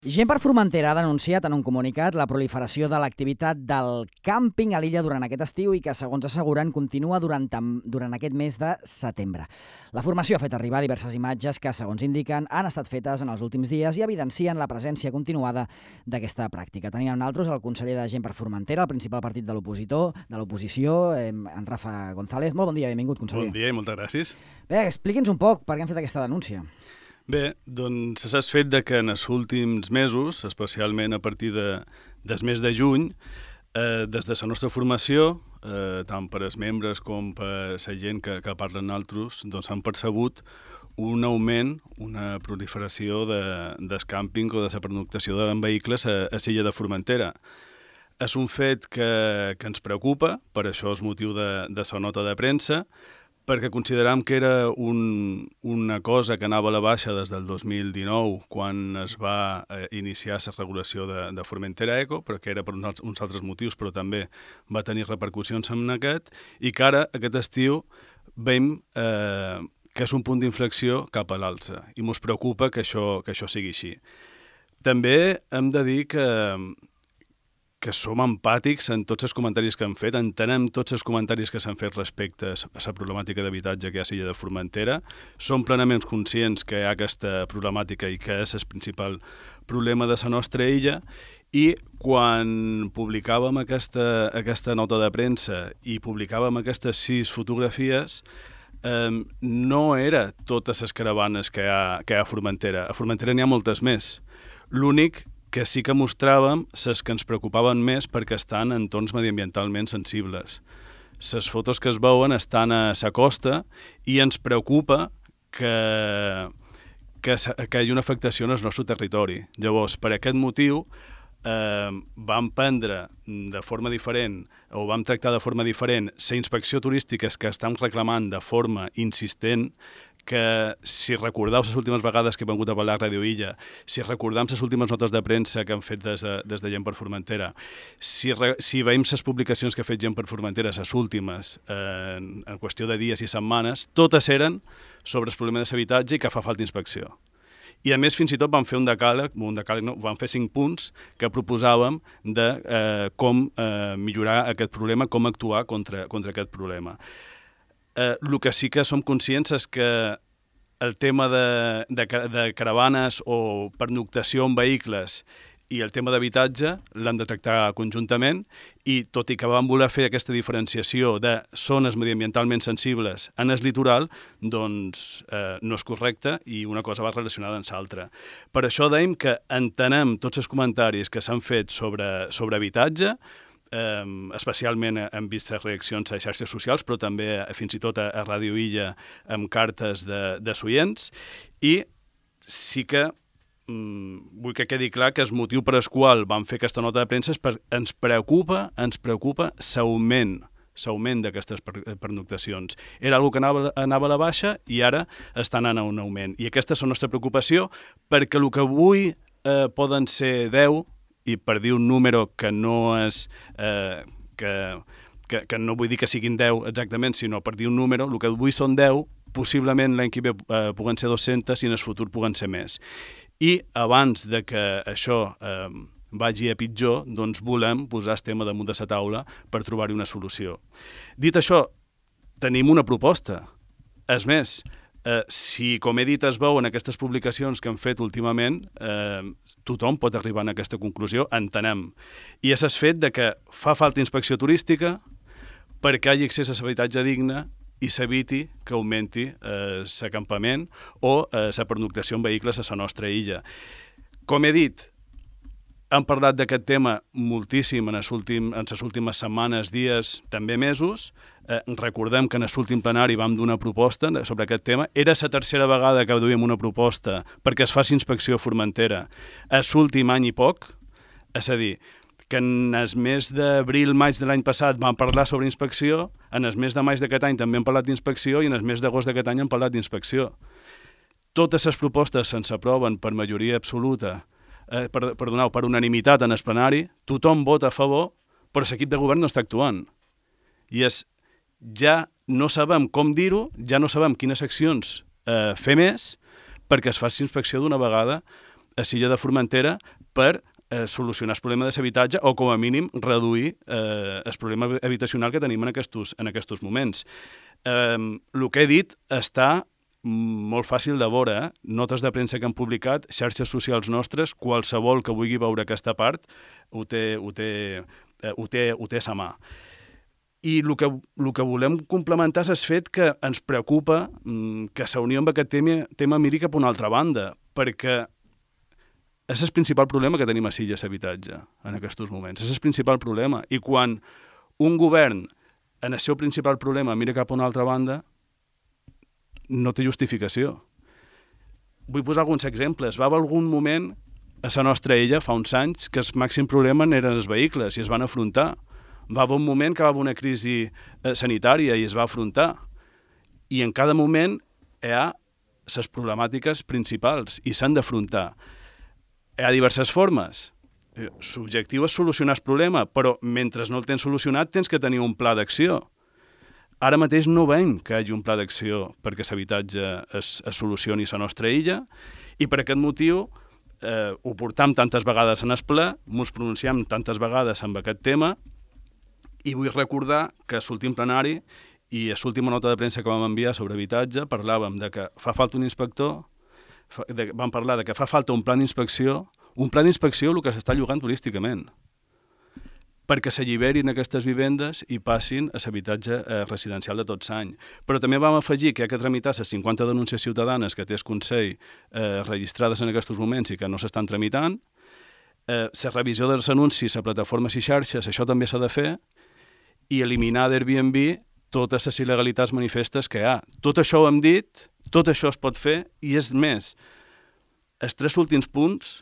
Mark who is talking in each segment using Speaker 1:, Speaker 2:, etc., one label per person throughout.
Speaker 1: Gent per Formentera ha denunciat en un comunicat la proliferació de l'activitat del càmping a l'illa durant aquest estiu i que, segons asseguren, continua durant aquest mes de setembre. La formació ha fet arribar diverses imatges que, segons indiquen, han estat fetes en els últims dies i evidencien la presència continuada d'aquesta pràctica. Tenim amb nosaltres el conseller de Gent per Formentera, el principal partit de l'oposició, en Rafa González. Molt bon dia, benvingut, conseller.
Speaker 2: Bon dia i moltes gràcies.
Speaker 1: Bé, expliqui'ns un poc per què han fet aquesta denúncia.
Speaker 2: Bé, doncs s'ha fet que en els últims mesos, especialment a partir del mes de juny, des de la nostra formació, tant per als membres com per la gent que parlen altres, doncs han percebut un augment, una proliferació del càmping o de la pernoctació en vehicles a l'illa de Formentera. És un fet que ens preocupa, per això és motiu de la nota de premsa, perquè consideram que era una cosa que anava a la baixa des del 2019, quan es va iniciar la regulació de Formentera Eco, però que era per uns altres motius, però també va tenir repercussions en aquest, i que ara, aquest estiu, veiem que és un punt d'inflexió cap a l'alça, i ens preocupa que això sigui així. També hem de dir que som empàtics en tots els comentaris que han fet, entenem tots els comentaris que s'han fet respecte a la problemàtica d'habitatge que hi ha a l'illa de Formentera, som plenament conscients que hi ha aquesta problemàtica i que és el principal problema de la nostra illa, i quan publicàvem aquesta nota de premsa i publicàvem aquestes 6 fotografies, no era totes les caravanes que hi ha a Formentera. A Formentera n'hi ha moltes més. L'únic que sí que mostràvem les que ens preocupaven més perquè estan en entorns mediambientalment sensibles. Les fotos que es veuen estan a la costa i ens preocupa que hi hagi una afectació en el nostre territori. Llavors, per aquest motiu, vam prendre de forma diferent o vam tractar de forma diferent la inspecció turística que estan reclamant de forma insistent, que si recordeu les últimes vegades que hem vingut a parlar a Radio Illa, si recordem les últimes notes de premsa que han fet des de Gent per Formentera, si veiem les publicacions que ha fet Gent per Formentera, les últimes, en qüestió de dies i setmanes, totes eren sobre el problema de l'habitatge i que fa falta inspecció. I a més, fins i tot vam fer vam fer 5 punts que proposàvem de com millorar aquest problema, com actuar contra aquest problema. El que sí que som conscients és que el tema de caravanes o pernoctació en vehicles i el tema d'habitatge l'han de tractar conjuntament, i tot i que vam voler fer aquesta diferenciació de zones mediambientalment sensibles en el litoral, doncs no és correcte i una cosa va relacionada amb l'altra. Per això dèiem que entenem tots els comentaris que s'han fet sobre habitatge, especialment hem vist les reaccions a xarxes socials, però també fins i tot a Ràdio Illa amb cartes de oients, i sí que vull que quedi clar que el motiu per al qual vam fer aquesta nota de premsa és perquè ens preocupa l'augment d'aquestes pernoctacions. Era una cosa que anava a la baixa i ara està anant a un augment. I aquesta és la nostra preocupació, perquè el que avui poden ser 10, i per dir un número que no és que no vull dir que siguin 10 exactament, sinó per dir un número, el que avui són 10, possiblement l'any que ve puguen ser 200 i en el futur puguen ser més. I abans de que això vagi a pitjor, doncs volem posar el tema damunt de la taula per trobar-hi una solució. Dit això, tenim una proposta. És més, si, com he dit, es veuen aquestes publicacions que han fet últimament, tothom pot arribar a aquesta conclusió, entenem. I és el fet que fa falta inspecció turística perquè hi hagi accés a l'habitatge digne i s'eviti que augmenti l'acampament o la pernoctació en vehicles a la nostra illa. Com he dit, hem parlat d'aquest tema moltíssim en les últimes setmanes, dies, també mesos. Recordem que en l'últim plenari vam donar una proposta sobre aquest tema. Era la tercera vegada que duíem una proposta perquè es faci inspecció a Formentera. L'últim any i poc, és a dir, que en el mes d'abril-maig de l'any passat vam parlar sobre inspecció, en el mes de maig d'aquest any també hem parlat d'inspecció i en el mes d'agost d'aquest any hem parlat d'inspecció. Totes les propostes se'ns aproven per majoria absoluta, per unanimitat en el plenari, tothom vota a favor, però l'equip de govern no està actuant. I ja no sabem com dir-ho, ja no sabem quines accions fer més perquè es faci inspecció d'una vegada a l'illa de Formentera per solucionar el problema de l'habitatge o, com a mínim, reduir el problema habitacional que tenim en aquests moments. El que he dit està molt fàcil de veure, notes de premsa que han publicat, xarxes socials nostres, qualsevol que vulgui veure aquesta part ho té a sa mà. I el que volem complementar és el fet que ens preocupa que la Unió amb aquest tema miri cap a una altra banda, perquè és el principal problema que tenim a Silla, l'habitatge, en aquests moments. És el principal problema. I quan un govern, en el seu principal problema, mira cap a una altra banda, no té justificació. Vull posar alguns exemples. Va haver algun moment a la nostra illa, fa uns anys, que el màxim problema eren els vehicles i es van afrontar. Va haver un moment que va haver una crisi sanitària i es va afrontar. I en cada moment hi ha les problemàtiques principals i s'han d'afrontar. Hi ha diverses formes. L'objectiu és solucionar el problema, però mentre no el tens solucionat tens que tenir un pla d'acció. Ara mateix no veiem que hi hagi un pla d'acció perquè l'habitatge es solucioni a la nostra illa i per aquest motiu ho portam tantes vegades en el ple, ens pronunciem tantes vegades amb aquest tema i vull recordar que a l'últim plenari i a l'última nota de premsa que vam enviar sobre habitatge parlàvem de que fa falta un inspector, vam parlar de que fa falta un pla d'inspecció el que s'està llogant turísticament, perquè s'alliberin aquestes vivendes i passin a l'habitatge residencial de tots anys. Però també vam afegir que hi ha que tramitar les 50 denúncies ciutadanes que té el Consell registrades en aquests moments i que no s'estan tramitant. La revisió dels anuncis a plataformes i xarxes, això també s'ha de fer, i eliminar d'Airbnb totes les il·legalitats manifestes que hi ha. Tot això ho hem dit, tot això es pot fer, i és més. Els 3 últims punts,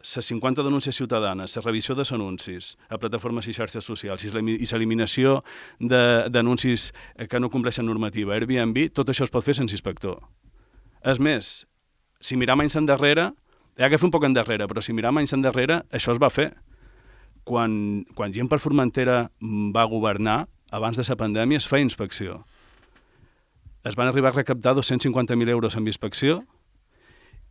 Speaker 2: les 50 denúncies ciutadanes, la revisió dels anuncis a plataformes i xarxes socials i l'eliminació d'anuncis que no compleixen normativa, Airbnb, tot això es pot fer sense inspector. És més, si miram anys endarrere, hi ha que fer un poc endarrere, però si miram anys endarrere, això es va fer. Quan gent per Formentera va governar, abans de la pandèmia, es feia inspecció. Es van arribar a recaptar 250.000 euros amb inspecció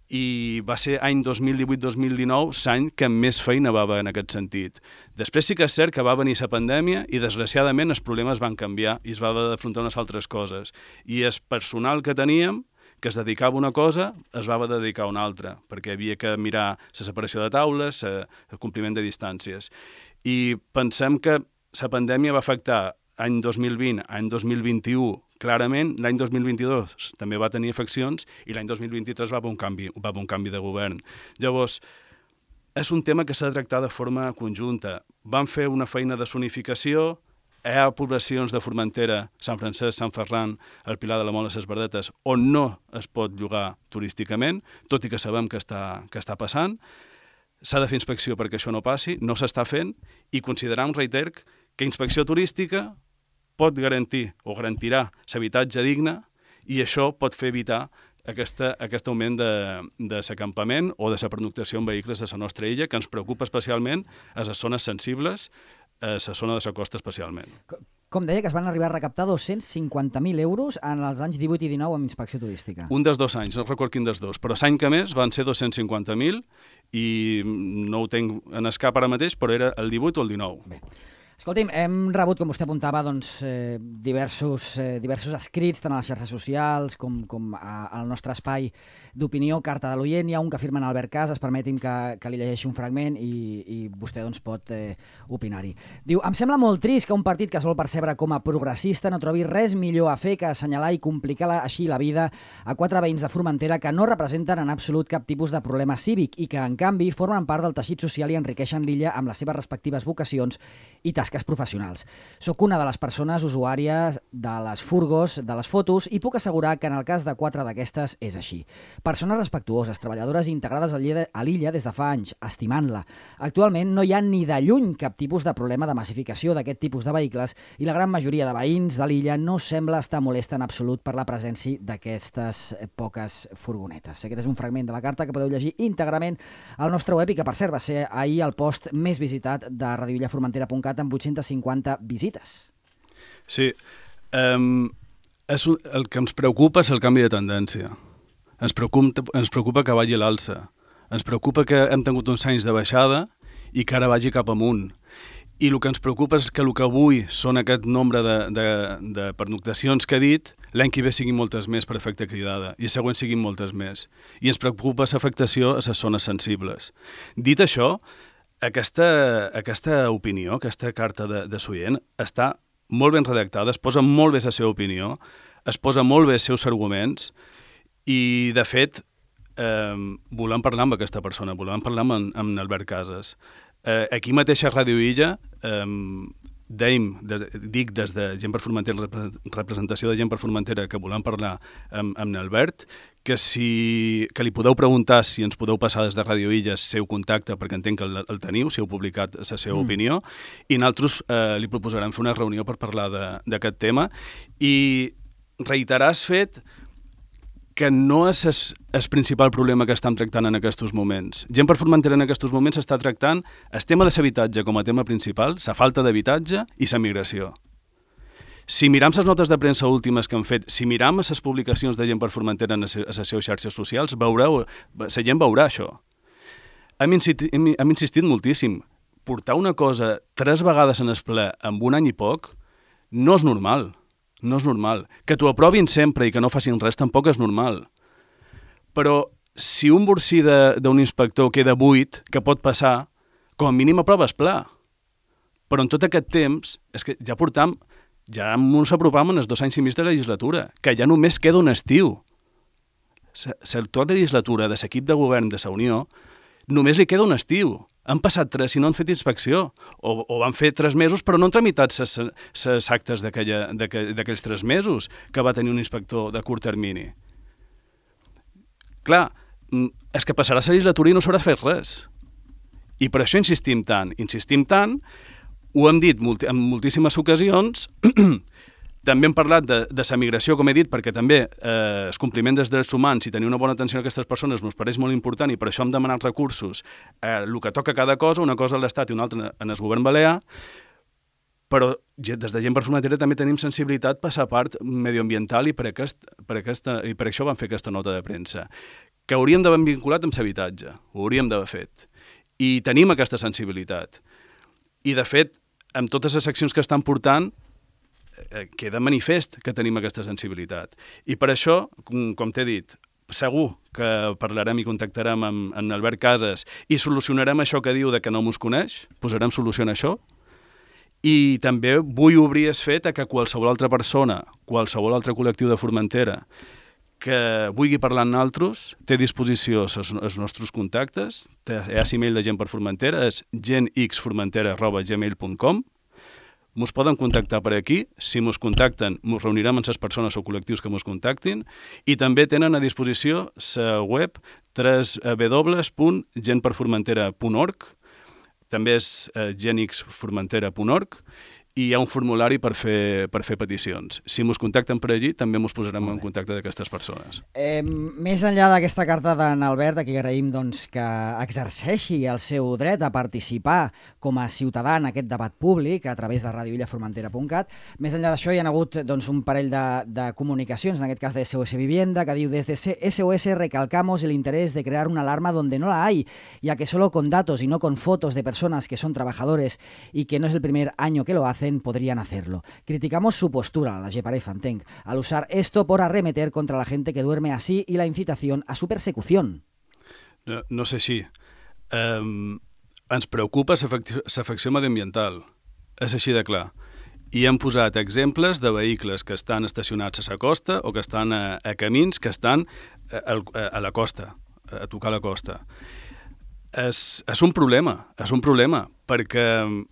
Speaker 2: i va ser any 2018-2019 l'any que més feina va haver en aquest sentit. Després sí que és cert que va venir la pandèmia i desgraciadament els problemes van canviar i es va haver d'afrontar unes altres coses. I el personal que teníem, que es dedicava a una cosa, es va haver de dedicar a una altra, perquè havia que mirar la separació de taules, el compliment de distàncies. I pensem que la pandèmia va afectar any 2020, any 2021, clarament, l'any 2022 també va tenir afeccions i l'any 2023 va haver un canvi de govern. Llavors, és un tema que s'ha de tractar de forma conjunta. Vam fer una feina de zonificació, hi ha poblacions de Formentera, Sant Francesc, Sant Ferran, el Pilar de la Mola, les Verdetes, on no es pot llogar turísticament, tot i que sabem que està passant. S'ha de fer inspecció perquè això no passi, no s'està fent, i consideram, reiter, que inspecció turística pot garantir o garantirà l'habitatge digne i això pot fer evitar aquest augment de l'acampament o de la pernoctació en vehicles a la nostra illa, que ens preocupa especialment a les zones sensibles, a la zona de la costa especialment.
Speaker 1: Com deia, que es van arribar a recaptar 250.000 euros en els anys 18 i 19 amb inspecció turística.
Speaker 2: Un dels 2 anys, no recordo quin dels 2, però l'any que més van ser 250.000 i no ho tenc en el cap ara mateix, però era el 18 o el 19.
Speaker 1: Bé. Escolti'm, hem rebut, com vostè apuntava, diversos escrits, tant a les xarxes socials com al nostre espai d'opinió, Carta de l'Oient. Hi ha un que firma en Albert Casas, permeti'm que li llegeixi un fragment i vostè pot opinar-hi. Diu, em sembla molt trist que un partit que es vol percebre com a progressista no trobi res millor a fer que assenyalar i complicar així la vida a 4 veïns de Formentera que no representen en absolut cap tipus de problema cívic i que, en canvi, formen part del teixit social i enriqueixen l'illa amb les seves respectives vocacions i tasques professionals. Soc una de les persones usuàries de les furgos, de les fotos, i puc assegurar que en el cas de 4 d'aquestes és així. Persones respectuoses, treballadores integrades a l'illa des de fa anys, estimant-la. Actualment no hi ha ni de lluny cap tipus de problema de massificació d'aquest tipus de vehicles i la gran majoria de veïns de l'illa no sembla estar molesta en absolut per la presència d'aquestes poques furgonetes. Aquest és un fragment de la carta que podeu llegir íntegrament al nostre web i que, per cert, va ser ahir el post més visitat de radioillaformentera.cat amb 850 visites.
Speaker 2: Sí. El que ens preocupa és el canvi de tendència. Ens preocupa que vagi a l'alça. Ens preocupa que hem tingut uns anys de baixada i que ara vagi cap amunt. I el que ens preocupa és que el que avui són aquest nombre de pernoctacions que he dit, l'any que ve siguin moltes més per efecte cridada i el següent siguin moltes més. I ens preocupa l'afectació a les zones sensibles. Dit això, aquesta opinió, aquesta carta de Soient, està molt ben redactada, es posa molt bé la seva opinió, es posa molt bé els seus arguments i, de fet, volem parlar amb aquesta persona, volem parlar amb Albert Casas. Aquí mateix a Ràdio Illa dic des de Gent per Formentera, representació de Gent per Formentera, que volem parlar amb Albert, que li podeu preguntar si ens podeu passar des de Ràdio Illa el seu contacte, perquè entenc que el teniu, si heu publicat la seva opinió, i nosaltres li proposarem fer una reunió per parlar d'aquest tema i reiterar el fet que no és el principal problema que estem tractant en aquests moments. Gent per Formentera en aquests moments està tractant el tema de l'habitatge com a tema principal, la falta d'habitatge i la migració. Si miram les notes de premsa últimes que han fet, si miram les publicacions de Gent per Formentera a les seves xarxes socials, la gent veurà això. Hem insistit moltíssim. Portar una cosa 3 vegades en el ple en un any i poc no és normal. No és normal. Que t'ho aprovin sempre i que no facin res tampoc és normal. Però si un borsí d'un inspector queda buit, que pot passar, com a mínim aprova el pla. Però en tot aquest temps, és que ja ens apropam en els 2 anys i mig de legislatura, que ja només queda un estiu. L'actual legislatura de l'equip de govern de la Unió només li queda un estiu. Han passat 3 i no han fet inspecció, o van fer 3 mesos però no han tramitat les actes d'aquells 3 mesos que va tenir un inspector de curt termini. Clar, és que passarà la legislatura i no s'haurà fet res. I per això insistim tant, ho hem dit en moltíssimes ocasions. També hem parlat de la migració, com he dit, perquè també el compliment dels drets humans i tenir una bona atenció a aquestes persones ens pareix molt important i per això hem demanat recursos. El que toca cada cosa, una cosa a l'Estat i una altra en el govern balear, però des de Gent per Formentera també tenim sensibilitat per la part medioambiental i per això vam fer aquesta nota de premsa, que hauríem d'haver vinculat amb l'habitatge, ho hauríem d'haver fet. I tenim aquesta sensibilitat. I, de fet, amb totes les accions que estan portant, queda manifest que tenim aquesta sensibilitat. I per això, com t'he dit, segur que parlarem i contactarem amb Albert Casas i solucionarem això que diu de que no mos coneix, posarem solució a això, i també vull obrir el fet que qualsevol altra persona, qualsevol altre col·lectiu de Formentera que vulgui parlar amb nosaltres, té a disposició els nostres contactes, hi ha l'email de Gent per Formentera, és gentxformentera@gmail.com. Mos poden contactar per aquí, si mos contacten, mos reunirem amb les persones o col·lectius que mos contactin, i també tenen a disposició la web www.gentperformentera.org, també és genxformentera.org, i hi ha un formulari per fer peticions. Si mos contacten per allí, també mos posarem en contacte d'aquestes persones.
Speaker 1: Més enllà d'aquesta carta d'en Albert, a qui agraïm que exerceixi el seu dret a participar com a ciutadà en aquest debat públic a través de radioillaformentera.cat, més enllà d'això hi ha hagut un parell de comunicacions, en aquest cas de SOS Vivienda, que diu: desde SOS recalcamos el interés de crear una alarma donde no la hay, ya que solo con datos y no con fotos de personas que son trabajadores y que no es el primer año que lo hacen, podrían hacerlo. Criticamos su postura, la Geparefa, entenc, al usar esto por arremeter contra la gente que duerme así y la incitación a su persecución.
Speaker 2: No sé si. Ens preocupa l'afecció mediambiental. És així de clar. I hem posat exemples de vehicles que estan estacionats a la costa o que estan a camins que estan a la costa, a tocar la costa. És un problema, perquè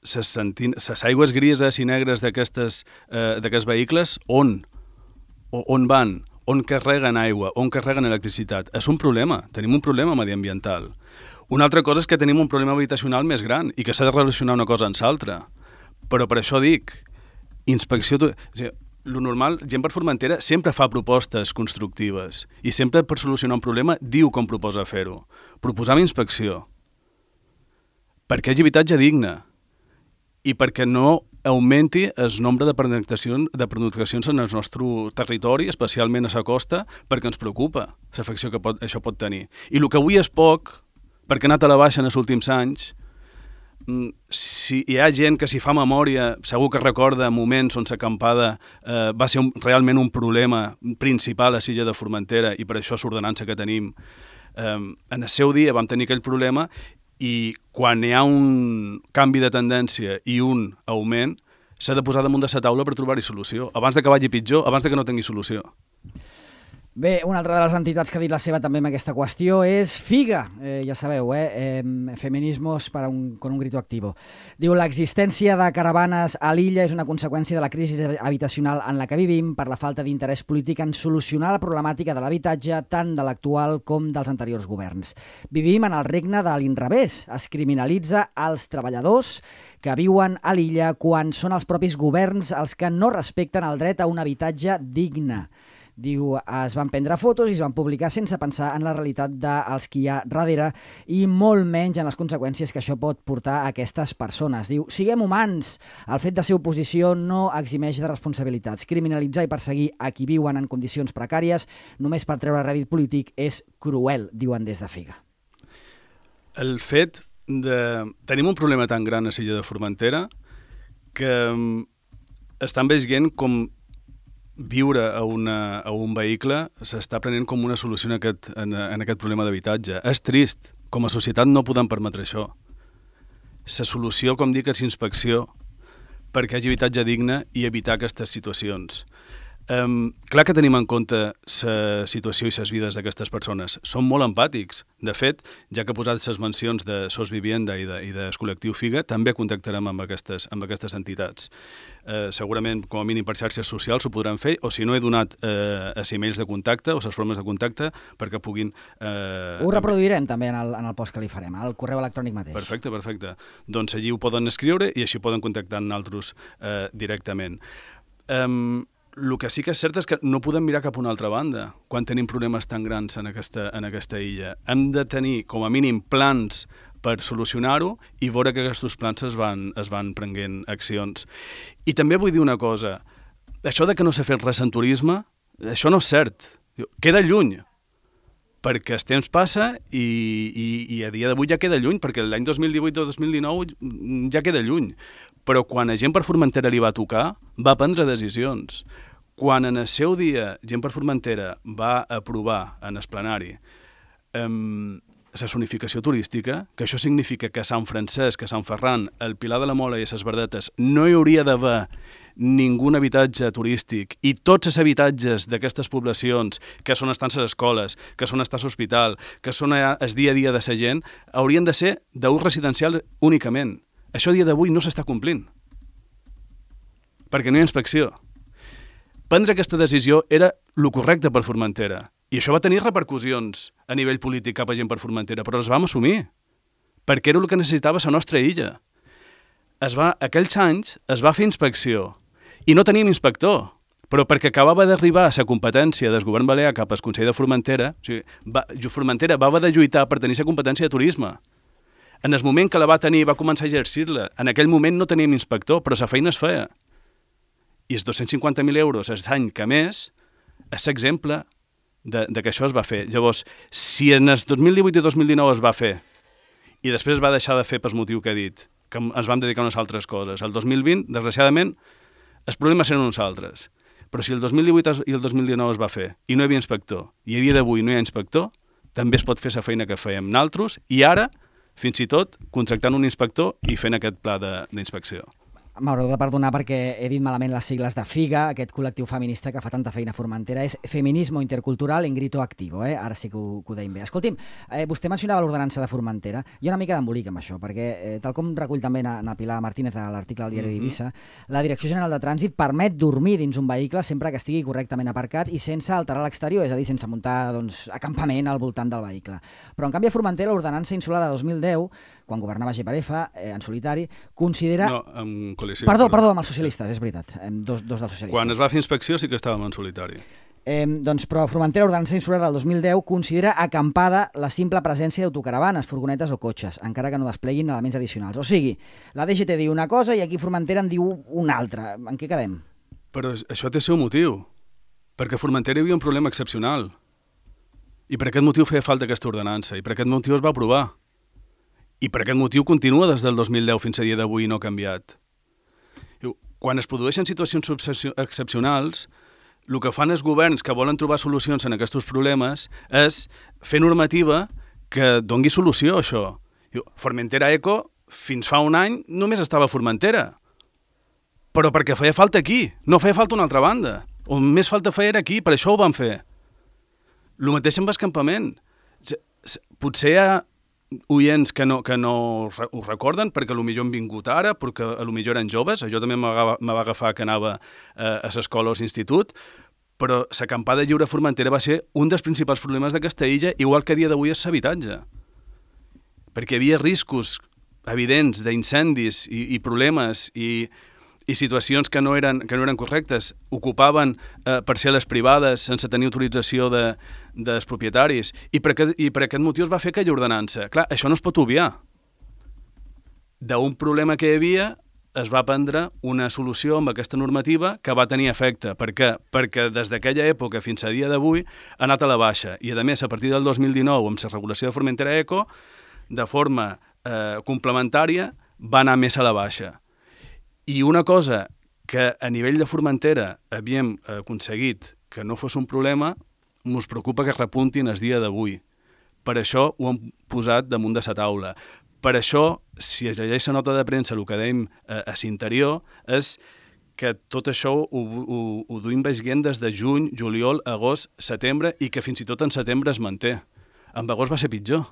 Speaker 2: les aigües grises i negres d'aquests vehicles on van? On carreguen aigua? On carreguen electricitat? És un problema. Tenim un problema mediambiental. Una altra cosa és que tenim un problema habitacional més gran i que s'ha de relacionar una cosa amb l'altra. Però per això dic, inspecció... Lo normal, Gent per Formentera sempre fa propostes constructives i sempre per solucionar un problema diu com proposa fer-ho. Proposam inspecció. Perquè hi hagi habitatge digne i perquè no augmenti el nombre de pernoctacions en el nostre territori, especialment a la costa, perquè ens preocupa l'afecció que això pot tenir. I el que avui és poc, perquè ha anat a la baixa en els últims anys, si hi ha gent que s'hi fa memòria, segur que recorda moments on l'acampada va ser realment un problema principal a l'illa de Formentera i per això l'ordenança que tenim. En el seu dia vam tenir aquell problema i quan hi ha un canvi de tendència i un augment, s'ha de posar damunt de la taula per trobar-hi solució, abans que vagi pitjor, abans que no tingui solució.
Speaker 1: Bé, una altra de les entitats que ha dit la seva també en aquesta qüestió és FIGA, ja sabeu, Feminismos con un grito activo. Diu, l'existència de caravanes a l'illa és una conseqüència de la crisi habitacional en la que vivim per la falta d'interès polític en solucionar la problemàtica de l'habitatge tant de l'actual com dels anteriors governs. Vivim en el regne de l'inrevés. Es criminalitza els treballadors que viuen a l'illa quan són els propis governs els que no respecten el dret a un habitatge digne. Diu, es van prendre fotos i es van publicar sense pensar en la realitat dels qui hi ha darrere i molt menys en les conseqüències que això pot portar a aquestes persones. Diu, siguem humans. El fet de ser oposició no eximeix de responsabilitats. Criminalitzar i perseguir a qui viuen en condicions precàries només per treure rèdit polític és cruel, diuen des de FIGA.
Speaker 2: El fet de... Tenim un problema tan gran a l'illa de Formentera que estan veient com viure a un vehicle s'està prenent com una solució en aquest problema d'habitatge. És trist. Com a societat no podem permetre això. La solució, com dic, és inspecció perquè hi hagi habitatge digne i evitar aquestes situacions. Clar que tenim en compte la situació i les vides d'aquestes persones. Som molt empàtics. De fet, ja que he posat les mencions de SOS Vivienda i del col·lectiu FIGA, també contactarem amb aquestes entitats. Segurament, com a mínim per xarxes socials, ho podran fer, o si no he donat els emails de contacte o les formes de contacte perquè puguin...
Speaker 1: Ho reproduirem també en el post que li farem, al correu electrònic mateix.
Speaker 2: Perfecte. Doncs allí ho poden escriure i així poden contactar amb nosaltres directament. El que sí que és cert és que no podem mirar cap a una altra banda quan tenim problemes tan grans en aquesta illa. Hem de tenir, com a mínim, plans per solucionar-ho i veure que aquests plans es van prenent accions. I també vull dir una cosa. Això de que no s'ha fet res en turisme, això no és cert. Queda lluny, perquè el temps passa i a dia d'avui ja queda lluny, perquè l'any 2018 o 2019 ja queda lluny. Però quan a Gent per Formentera li va tocar, va prendre decisions. Quan en el seu dia Gent per Formentera va aprovar en el plenari la zonificació turística, que això significa que a Sant Francesc, a Sant Ferran, al Pilar de la Mola i a les Verdetes no hi hauria d'haver ningú habitatge turístic i tots els habitatges d'aquestes poblacions, que són estances escoles, que són estats hospital, que són el dia a dia de la gent, haurien de ser d'ús residencial únicament. Això a dia d'avui no s'està complint, perquè no hi ha inspecció. Prendre aquesta decisió era el correcte per Formentera, i això va tenir repercussions a nivell polític cap a Gent per Formentera, però les vam assumir, perquè era el que necessitava la nostra illa. Aquells anys es va fer inspecció, i no teníem inspector, però perquè acabava d'arribar a la competència del govern balear cap al Consell de Formentera, o sigui, Formentera va haver de lluitar per tenir la competència de turisme. En el moment que la va tenir, va començar a exercir-la. En aquell moment no teníem inspector, però la feina es feia. I els 250.000 euros l'any que més és l'exemple de que això es va fer. Llavors, si en el 2018 i 2019 es va fer i després es va deixar de fer pel motiu que he dit, que ens vam dedicar a unes altres coses, el 2020, desgraciadament, els problemes eren uns altres. Però si el 2018 i el 2019 es va fer i no hi havia inspector, i a dia d'avui no hi ha inspector, també es pot fer la feina que fèiem nosaltres i ara fins i tot contractant un inspector i fent aquest pla d'inspecció.
Speaker 1: M'haureu de perdonar perquè he dit malament les sigles de FIGA, aquest col·lectiu feminista que fa tanta feina a Formentera, és Feminismo Intercultural en Grito Activo, ara sí que ho deim bé. Escolti'm, vostè mencionava l'ordenança de Formentera, hi ha una mica d'embolic amb això, perquè tal com recull també na Pilar Martínez a l'article del diari d'Eivissa, la Direcció General de Trànsit permet dormir dins un vehicle sempre que estigui correctament aparcat i sense alterar l'exterior, és a dir, sense muntar acampament al voltant del vehicle. Però en canvi a Formentera l'ordenança insular de 2010, quan governava GPRF, en solitari, considera...
Speaker 2: No, en coalició.
Speaker 1: Perdó, amb els socialistes, és veritat. Dos dels socialistes.
Speaker 2: Quan es va fer inspecció sí que estàvem en solitari.
Speaker 1: Però Formentera, ordenança insular del 2010, considera acampada la simple presència d'autocaravanes, furgonetes o cotxes, encara que no despleguin elements addicionals. O sigui, la DGT diu una cosa i aquí Formentera en diu una altra. En què quedem?
Speaker 2: Però això té el seu motiu, perquè a Formentera hi havia un problema excepcional. I per aquest motiu feia falta aquesta ordenança, i per aquest motiu es va aprovar. I per aquest motiu continua des del 2010 fins a dia d'avui i no ha canviat. Quan es produeixen situacions excepcionals, el que fan els governs que volen trobar solucions en aquests problemes és fer normativa que dongui solució a això. Formentera Eco, fins fa un any, només estava a Formentera. Però perquè feia falta aquí, no feia falta una altra banda. On més falta feia era aquí, per això ho van fer. El mateix amb l'escampament. Potser hi ha oients que no ho recorden perquè potser han vingut ara, perquè potser eren joves. Jo també me va agafar que anava a l'escola o a l'institut, però l'acampada lliure a Formentera va ser un dels principals problemes d'aquesta illa, igual que a dia d'avui és l'habitatge. Perquè hi havia riscos evidents d'incendis i problemes i situacions que no eren correctes. Ocupaven parcel·les privades sense tenir autorització dels propietaris i per aquest motiu es va fer aquella ordenança. Clar, això no es pot obviar. D'un problema que hi havia es va prendre una solució amb aquesta normativa que va tenir efecte. Per què? Perquè des d'aquella època fins a dia d'avui ha anat a la baixa i, a més, a partir del 2019, amb la regulació de Formentera Eco, de forma complementària, va anar més a la baixa. I una cosa que a nivell de Formentera havíem aconseguit que no fos un problema, ens preocupa que repuntin el dia d'avui. Per això ho hem posat damunt de la taula. Per això, si es llegeix la nota de premsa, el que dèiem a l'interior és que tot això ho duim veient des de juny, juliol, agost, setembre i que fins i tot en setembre es manté. En agost va ser pitjor.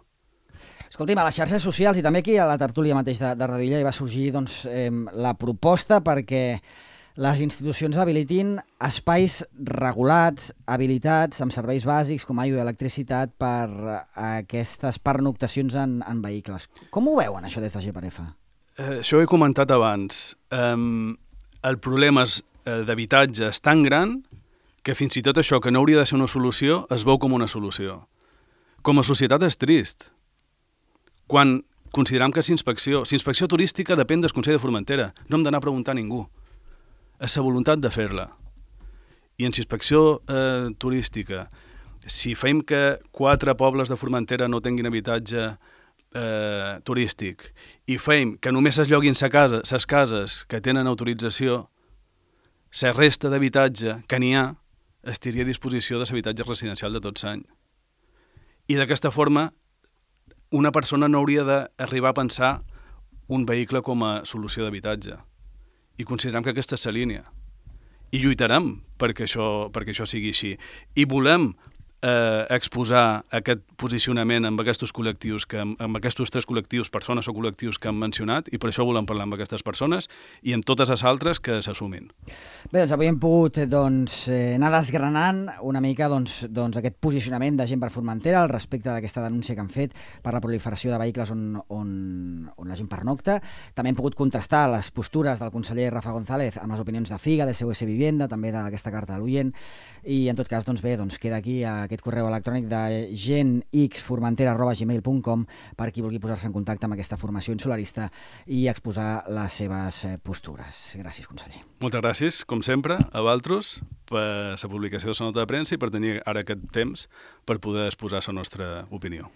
Speaker 1: Escolti'm, a les xarxes socials i també aquí a la tertúlia mateix de Radio Illa hi va sorgir la proposta perquè les institucions habilitin espais regulats, habilitats, amb serveis bàsics com aigua i electricitat per aquestes pernoctacions en vehicles. Com ho veuen, això, des de GPRF?
Speaker 2: Això ho he comentat abans. El problema d'habitatge és tan gran que fins i tot això que no hauria de ser una solució es veu com una solució. Com a societat és trist. Quan considerem que l'inspecció turística depèn del Consell de Formentera, no hem d'anar a preguntar a ningú. És la voluntat de fer-la. I en l'inspecció turística, si fem que 4 pobles de Formentera no tinguin habitatge turístic i fem que només es lloguin les cases que tenen autorització, la resta d'habitatge que n'hi ha estaria a disposició de l'habitatge residencial de tot l'any. I d'aquesta forma una persona no hauria d'arribar a pensar un vehicle com a solució d'habitatge. I considerem que aquesta és la línia. I lluitarem perquè això sigui així. I volem exposar aquest posicionament amb aquests col·lectius, amb aquests 3 col·lectius, persones o col·lectius que hem mencionat, i per això volem parlar amb aquestes persones i amb totes les altres que s'assumin.
Speaker 1: Bé, doncs avui hem pogut anar desgranant una mica aquest posicionament de gent per Formentera al respecte d'aquesta denúncia que han fet per la proliferació de vehicles on la gent pernocta. També hem pogut contrastar les postures del conseller Rafa González amb les opinions de FIGA, de SOS Vivienda, també d'aquesta carta de l'oient, i en tot cas, queda aquí aquest correu electrònic de genxformentera@gmail.com per qui vulgui posar-se en contacte amb aquesta formació insularista i exposar les seves postures. Gràcies, conseller.
Speaker 2: Moltes gràcies, com sempre, a vosaltres per la publicació de la nota de premsa i per tenir ara aquest temps per poder exposar la nostra opinió.